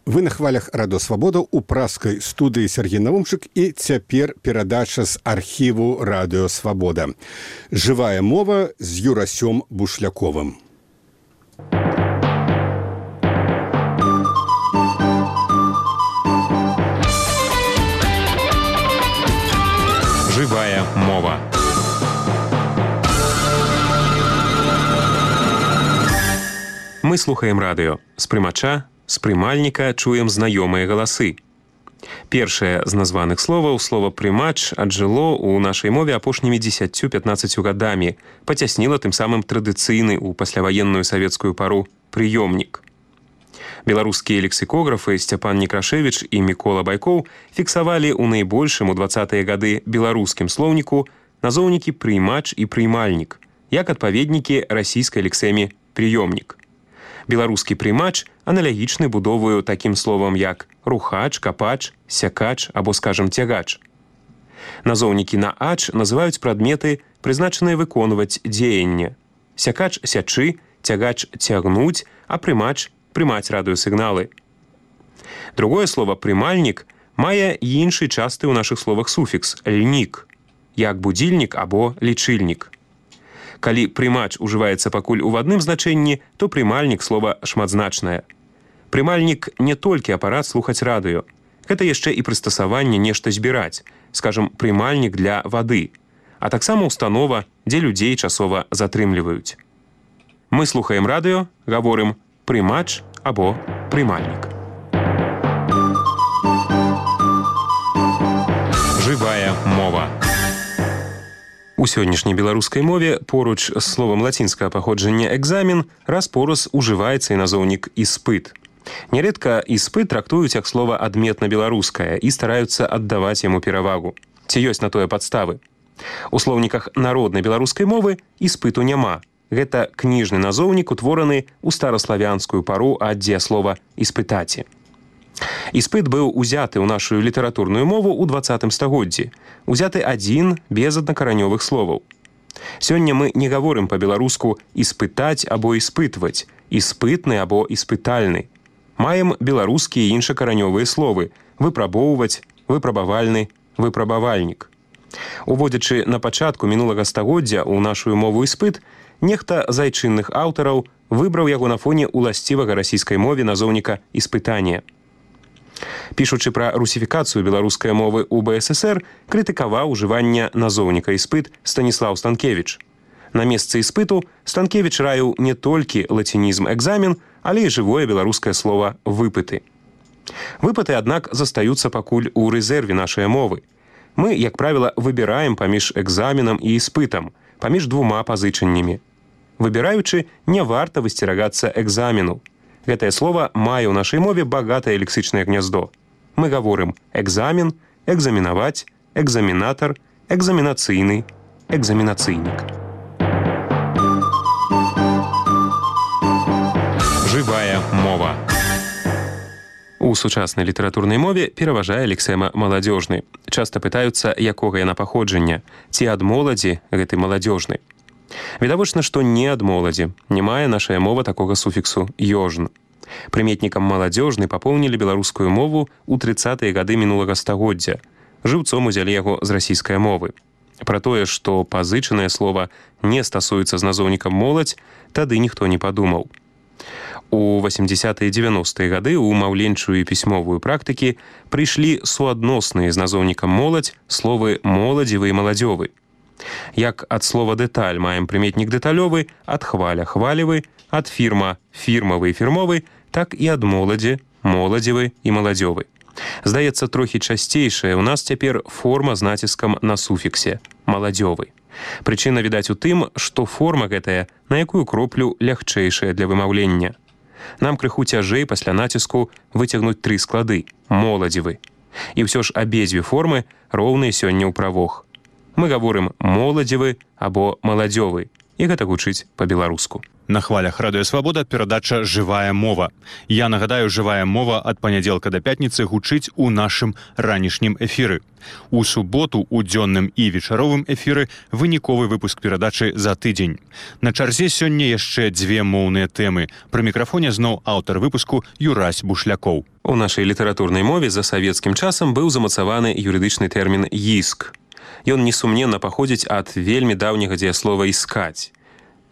Вы на хвалях Радио Свабода у праскай студыі Сергей Навумчык і цяпер перадача з архіву Радио Свабода. Жывая мова з Юрасём Бушляковым. Жывая мова. Мы слухаем радыё. З прымача, з прымальніка чуем знаёмыя галасы. Першае з названых словаў, слова «прымач» аджыло ў нашай мове апошнімі 10-15 гадамі, пацясніла тым самым традыцыйны ў пасляваенную савецкую пару прыёмнік. Беларускія лексікографы Сцяпан Некрашевіч і Мікола Байкоў фіксавалі ў найбольшым у 20-е гады беларускім слоўніку назоўнікі «прымач» і «прымальнік», як адпаведнікі расійскай лексеме «прыёмнік». Беларускі прымач аналагічны будоваю такім словам, як рухач, капач, сякач або, скажам, цягач. Назоўнікі на «ач» называюць прадметы, прызначаныя выконваць дзеянне. Сякач – сячы, цягач – цягнуць, а прымач – прымаць радыёсігналы. Другое слово «прымальнік» мае іншы часты ў нашых словах суфікс «льнік», як будзільнік або лічыльнік. Калі прымач ужываецца пакуль у адным значэнні, то прымальнік слова шматзначнае. Прымальнік не толькі апарат слухаць радыё. Гэта яшчэ і прыстасаванне нешта збіраць, скажам, прымальнік для вады, а таксама установа, дзе людзей часова затрымліваюць. Мы слухаем радыё, гаворым прымач або прымальнік. Жывая мова. У сённяшняй беларускай мове поруч з словам лацінскага паходжання «экзамен» раз-пораз ужываецца і назоўнік «іспыт». Нярэдка «іспыт» трактуюць як слова адметна-беларускае і стараюцца аддаваць яму перавагу. Ці ёсць на тое падставы? У слоўніках народнай беларускай мовы іспыту няма. Гэта кніжны назоўнік, утвораны ў стараславянскую пару ад дзеяслова «іспытаці». Іспыт быў узяты ў нашу літаратурную мову ў 20 стагоддзі. Узяты адзін без аднакаранёвых словаў. Сёння мы не гаворым па-беларуску «іспытаць» або «іспытваць», «іспытны» або «іспытальны». Маем беларускія і іншакаранёвыя словы «выпрабоўваць», «выпрабавальны», «выпрабавальнік». Уводзячы на пачатку мінулага стагоддзя ў нашу мову «іспыт», нехта з айчынных аўтараў выбраў яго на фоне уласцівага расійскай мове назоўніка «іспытанне». Пішучы пра русіфікацыю беларускай мовы ў БССР, крытыкаваў ужыванне назоўніка «іспыт» Станіслаў Станкевіч. На месцы «іспыту» Станкевіч раіў не толькі лацінізм «экзамен», але і жывое беларускае слова «выпыты». Выпыты, аднак, застаюцца пакуль у рэзерве нашай мовы. Мы, як правіла, выбіраем паміж экзаменам і іспытам, паміж двума пазычаннямі. Выбіраючы, не варта высцерагацца экзамену. Гэтае слово мае ў нашай мове багатае лексічнае гняздо. Мы гаворым экзамен, экзаменаваць, экзаменатар, экзаменацыйны, экзаменацыйнік. Жывая мова. У сучаснай літаратурнай мове пераважае лексема маладзёжны. Часта пытаюцца, якога яна паходжання, ці ад моладзі гэты маладзёжны. Відавочна, што не ад моладзі. Не мае нашая мова такога суфіксу «ёжн». Прыметнікам маладзёжны папоўнілі беларускую мову ў 30-е гады мінулага стагоддзя. Жыўцом узялі яго з расійскай мовы. Пра тое, што пазычанае слова не стасуецца з назоўнікам «моладзь», тады ніхто не падумаў. У 80-е і 90-е гады ў маўленчую і пісьмовую практыкі прыйшлі суадносныя з назоўнікам «моладзь» словы «моладзевы» і «маладзёвы». Як ад слова «дэталь» маем прыметнік «дэталёвы», ад «хваля» – «хвалевы», ад «фірма» – «фірмавы» і «фірмовы», так і ад «моладзі» – «моладзевы» і «маладзёвы». Здаецца, трохі часцейшая ў нас цяпер форма з націскам на суфіксе – «маладзёвы». Прычына, відаць, у тым, што форма гэтая на якую кроплю лягчэйшая для вымаўлення. Нам крыху цяжэй пасля націску выцягнуць 3 склады – «моладзевы». І ўсё ж абедзве формы роўныя сёння ў правох. Мы гаворым «моладзевы» або «маладзёвы», і гэта гучыць па-беларуску. На хвалях Радыё Свабода перадача «Жывая мова». Я нагадаю, «Жывая мова» ад панядзелка да пятніцы гучыць у нашым ранішнім эфіры. У суботу у дзённым і вечаровым эфіры выніковы выпуск перадачы за тыдзень. На чарзе сёння яшчэ 2 моўныя тэмы. Пры мікрафоне зноў аўтар выпуску Юрась Бушлякоў. У нашай літаратурнай мове за савецкім часам быў замацаваны юрыдычны тэрмін «іск». Ён несумненна паходзіць ад вельмі даўняга дзеяслова «іскаць».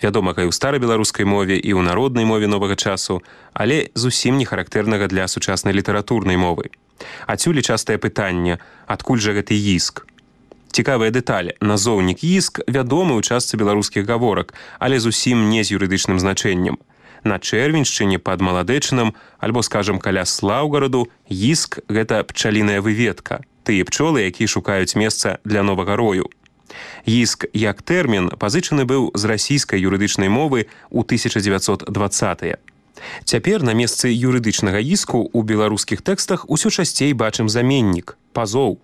Вядома, і ў старабеларускай мове, і ў народнай мове новага часу, але зусім не характэрнага для сучаснай літаратурнай мовы. Адсюль частае пытанне, адкуль жа гэты іск? Цікавая дэталь. Назоўнік «іск» вядомы ў частцы беларускіх гаворак, але зусім не з юрыдычным значэннем. На Чэрвеньшчыне пад Маладэчынам, альбо, скажам, каля Слаўгараду, «іск» – гэта пчаліная выведка, тыя пчолы, якія шукаюць месца для новага рою. «Іск» як тэрмін пазычаны быў з расійскай юрыдычнай мовы ў 1920-е. Цяпер на месцы юрыдычнага іску ў беларускіх тэкстах усё часцей бачым заменнік – пазоў.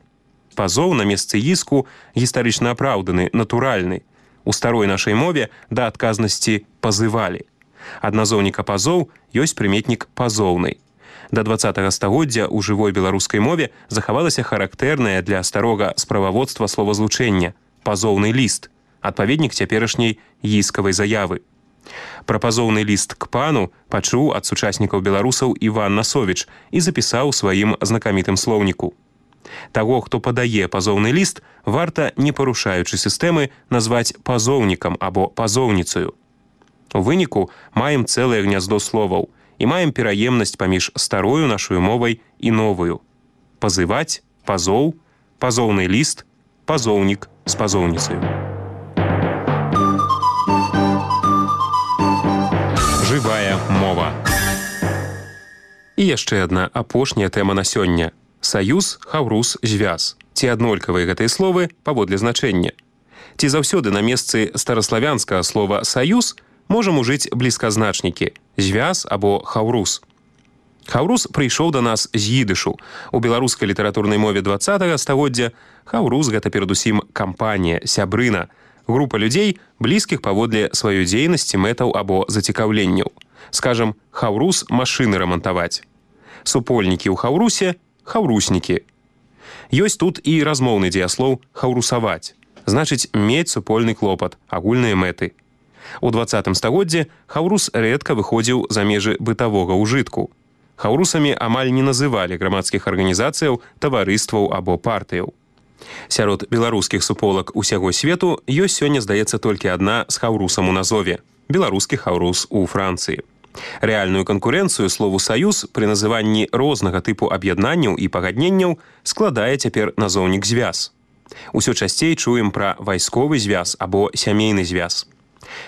Пазоў на месцы іску гістарычна апраўданы, натуральны. У старой нашай мове да адказнасці пазывалі. Ад назоўніка пазоў ёсць прыметнік пазоўнай. Да 20-го стагоддзя ў жывой беларускай мове захавалася характэрнае для старога справаводства словазлучэння пазоўны ліст, адпаведнік цяперашняй іскавай заявы. Пра пазоўны ліст к пану пачуў ад сучаснікаў беларусаў Іван Насовіч і запісаў у сваім знакамітым слоўніку. Таго, хто падае пазоўны ліст, варта, не парушаючы сістэмы, назваць пазоўнікам або пазоўніцаю. У выніку маем цэлае гняздо словаў і маем пераемнасць паміж старою нашою мовай і новую. Пазываць, пазоў, пазоўны ліст, пазоўнік з пазоўніцаю. Жывая мова. І яшчэ адна апошняя тэма на сёння. Саюз, хаўрус, звяз. Ці аднолькавыя гэтыя словы паводле значэння? Ці заўсёды на месцы стараславянскага слова «саюз» можам ужыць блізказначнікі «звяз» або «хаўрус». Хаўрус прыйшоў да нас з ідышу. У беларускай літаратурнай мове 20-го стагоддзя хаўрус – гэта перадусім кампанія, сябрына, група людзей, блізкіх паводле сваёй дзейнасці, мэтаў або зацікаўленняў. Скажам, хаўрус – машыны рамантаваць. Супольнікі ў хаўрусе – хаўруснікі. Ёсць тут і размоўны дзеяслоў «хаўрусаваць». Значыць, мець супольны клопат, агульныя мэты. У 20-м стагоддзе хаўрус рэдка выходзіў за межы бытавога ўжытку. Хаўрусамі амаль не называлі грамадскіх арганізацыяў, таварыстваў або партыяў. Сярод беларускіх суполак усяго свету ёсць сёння, здаецца, толькі адна з хаўрусам у назове – беларускі хаўрус у Францыі. Рэальную канкурэнцыю слову «саюз» пры называнні рознага тыпу аб'яднанняў і пагадненняў складае цяпер назоўнік «звяз». Усё часцей чуем пра вайсковы звяз або сямейны звяз.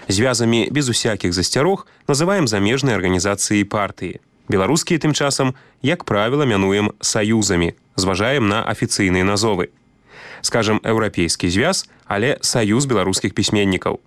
Звязамі без усякіх засцярог называем замежныя арганізацыі і партыі. Беларускія тым часам, як правіла, мянуем саюзамі, зважаем на афіцыйныя назовы. Скажам, еўрапейскі звяз, але саюз беларускіх пісьменнікаў.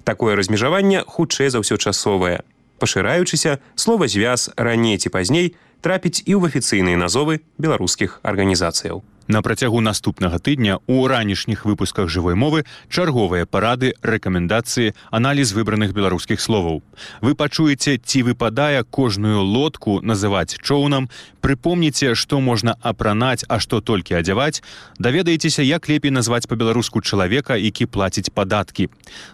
Такое размежаванне хутчэй за ўсё часовае. Пашыраючыся, слова «звяз» раней ці пазней трапіць і ў афіцыйныя назовы беларускіх арганізацыяў. На працягу наступнага тыдня ў ранішніх выпусках жывой мовы чарговыя парады, рэкамендацыі, аналіз выбраных беларускіх словаў. Вы пачуеце, ці выпадае кожную лодку называць чоўнам, прыпомніце, што можна апранаць, а што толькі адзяваць, даведаецеся, як лепей назваць па-беларуску чалавека, які плаціць падаткі.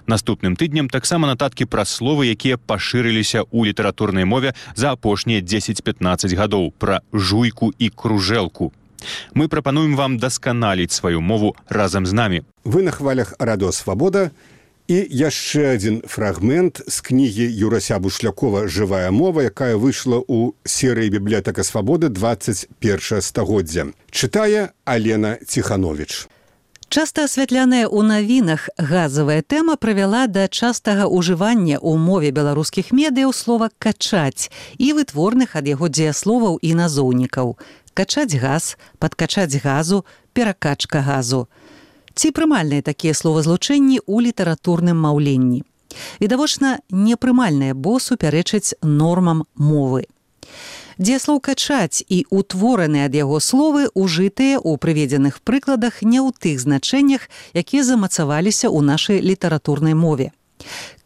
Наступным тыднем таксама нататкі пра словы, якія пашырыліся ў літаратурнай мове за апошнія 10-15 гадоў, пра жуйку і кружэлку. Мы прапануем вам дасканаліць сваю мову разам з намі. Вы на хвалях Радыё Свабода і яшчэ адзін фрагмент з кнігі Юрася Бушлякова «Жывая мова», якая выйшла ў серыі «Бібліятэка Свабоды» 21 стагоддзя. Чытае Алена Ціхановіч. Часта асвятляная ў навінах газавая тэма прывяла да частага ўжывання ў мове беларускіх медыяў слова «качаць» і вытворных ад яго дзеясловаў і назоўнікаў. Качаць газ, падкачаць газу, перакачка газу. Ці прымальныя такія словазлучэнні ў літаратурным маўленні? Відавочна, непрымальныя, бо супярэчаць нормам мовы. Дзеяслоў «качаць» і ўтвораныя ад яго словы ужытыя ў прыведзеных прыкладах не ў тых значэннях, якія замацаваліся ў нашай літаратурнай мове.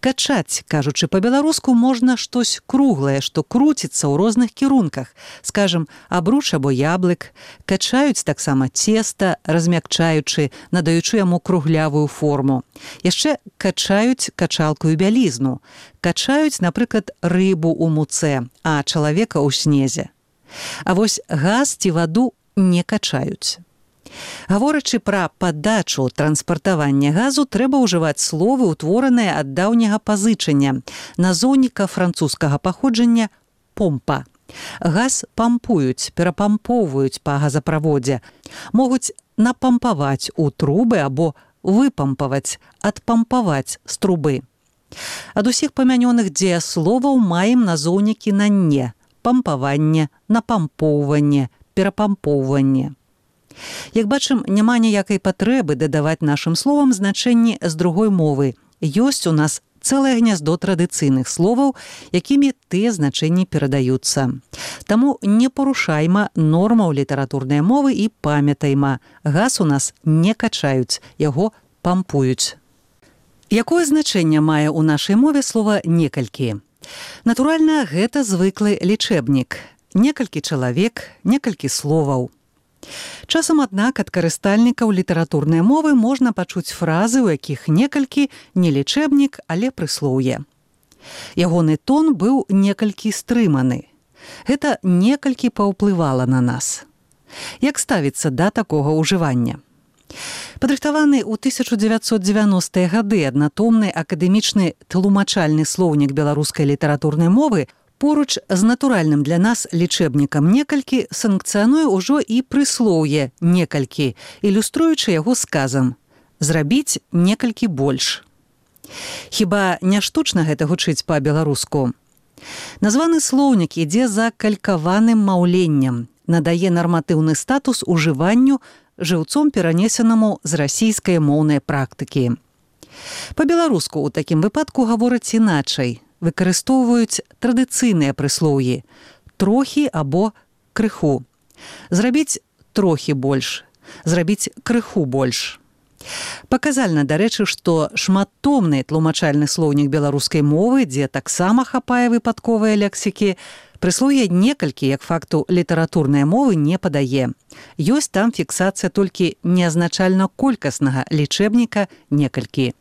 Качаць, кажучы па-беларуску, можна штось круглае, што круціцца ў розных кірунках. Скажам, абруч або яблык. Качаюць таксама цеста, размякчаючы, надаючы яму круглявую форму. Яшчэ качаюць качалкую бялізну. Качаюць, напрыклад, рыбу ў муцэ, а чалавека ў снезе. А вось газ ці ваду не качаюць. Гаворачы пра падачу транспартавання газу, трэба ўжываць словы, утвораныя ад даўняга пазычання, назоўніка французскага паходжання «помпа». Газ пампуюць, перапампоўваюць па газаправодзе, могуць напампаваць у трубы або выпампаваць, адпампаваць з трубы. Ад усіх памянёных дзеясловаў маем назоўнікі на «не» – пампаванне, напампоўванне, перапампоўванне. Як бачым, няма ніякай патрэбы дадаваць нашым словам значэнні з другой мовы. Ёсць у нас цэлае гняздо традыцыйных словаў, якімі тыя значэнні перадаюцца. Таму не парушайма нормаў літаратурнай мовы і памятайма. Газ у нас не качаюць, яго пампуюць. Якое значэнне мае ў нашай мове слова «некалькі»? Натуральна, гэта звыклы лічэбнік. Некалькі чалавек, некалькі словаў. Часам, аднак, ад карыстальнікаў літаратурнай мовы можна пачуць фразы, у якіх некалькі не лічэбнік, але прыслоўе. Ягоны тон быў некалькі стрыманы. Гэта некалькі паўплывала на нас. Як ставіцца да такога ўжывання? Падрыхтаваны ў 1990-е гады аднатомны акадэмічны тлумачальны слоўнік беларускай літаратурнай мовы поруч з натуральным для нас лічэбнікам некалькі санкцыянуе ўжо і прыслоўе некалькі, ілюструючы яго сказам «зрабіць некалькі больш». Хіба не штучна гэта гучыць па-беларуску? Названы слоўнік ідзе за калькаваным маўленнем, надае нарматыўны статус ужыванню жыўцом перанесенаму з расійскай моўнай практыкі. Па-беларуску ў такім выпадку гавораць іначай. Выкарыстоўваюць традыцыйныя прыслоўі «трохі» або «крыху». Зрабіць трохі больш, зрабіць крыху больш. Паказальна, дарэчы, што шматтомны тлумачальны слоўнік беларускай мовы, дзе таксама хапае выпадковыя лексікі, прыслоўе «некалькі» як факту літаратурнай мовы не падае. Ёсць там фіксацыя толькі неазначальна колькаснага лічэбніка «некалькі».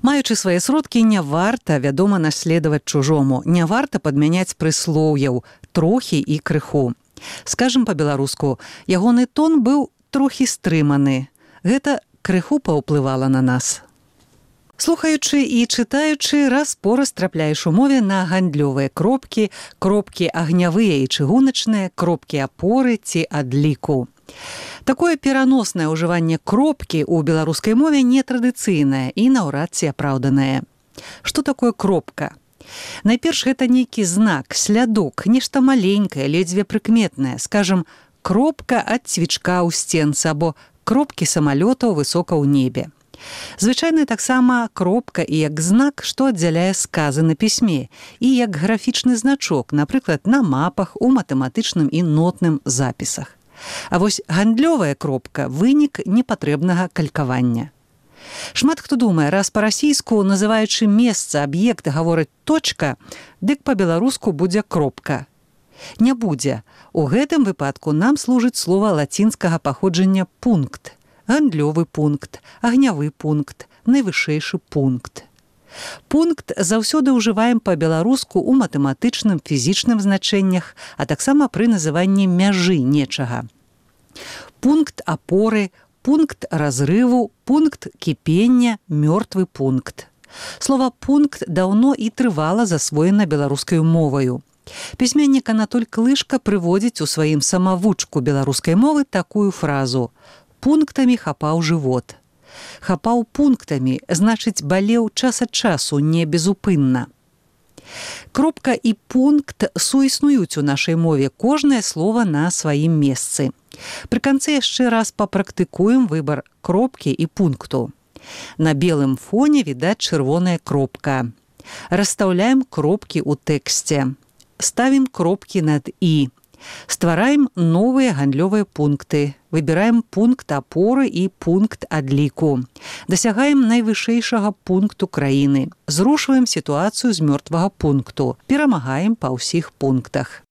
Маючы свае сродкі, не варта, вядома, наследаваць чужому, не варта падмяняць прыслоўяў «трохі» і «крыху». Скажам па-беларуску, ягоны тон быў трохі стрыманы. Гэта крыху паўплывала на нас. Слухаючы і чытаючы, раз-пораз трапляеш у мове на гандлёвыя кропкі, кропкі агнявыя і чыгуначныя, кропкі апоры ці адліку. Такое пераноснае ўжыванне кропкі ў беларускай мове нетрадыцыйнае і наўрад ці апраўданае. Што такое кропка? Найперш, гэта нейкі знак, слядок, нешта маленькае, ледзьве прыкметнае, скажам, кропка ад цвічка ў сценцы або кропкі самалётаў высока ў небе. Звычайна таксама кропка і як знак, што аддзяляе сказы на пісьме, і як графічны значок, напрыклад, на мапах, у матэматычным і нотным запісах. А вось гандлёвая кропка – вынік непатрэбнага калькавання. Шмат хто думае, раз па-расійску, называючы месца, аб'ект, гаворыць «точка», дык па-беларуску будзе кропка. Не будзе. У гэтым выпадку нам служыць слова лацінскага паходжання «пункт». Гандлёвы пункт, агнявы пункт, найвышэйшы пункт. Пункт заўсёды ўжываем па-беларуску ў матэматычным, фізічным значэннях, а таксама пры называнні мяжы нечага. Пункт апоры, пункт разрыву, пункт кіпення, мёртвы пункт. Слова «пункт» даўно і трывала засвоена беларускай моваю. Пісьменнік Анатоль Клышка прыводзіць у сваім самавучку беларускай мовы такую фразу «пунктамі хапаў жывот». Хапаў пунктамі, значыць, балеў час ад часу, не безупынна. Кропка і пункт суіснуюць у нашай мове, кожнае слова на сваім месцы. Пры канцы яшчэ раз папрактыкуем выбар кропкі і пункту. На белым фоне відаць чырвоная кропка. Расстаўляем кропкі ў тэксце. Ставім кропкі над «і». Ствараем новыя гандлёвыя пункты. Выбіраем пункт апоры і пункт адліку. Дасягаем найвышэйшага пункту краіны. Зрушваем сітуацыю з мёртвага пункту. Перамагаем па ўсіх пунктах.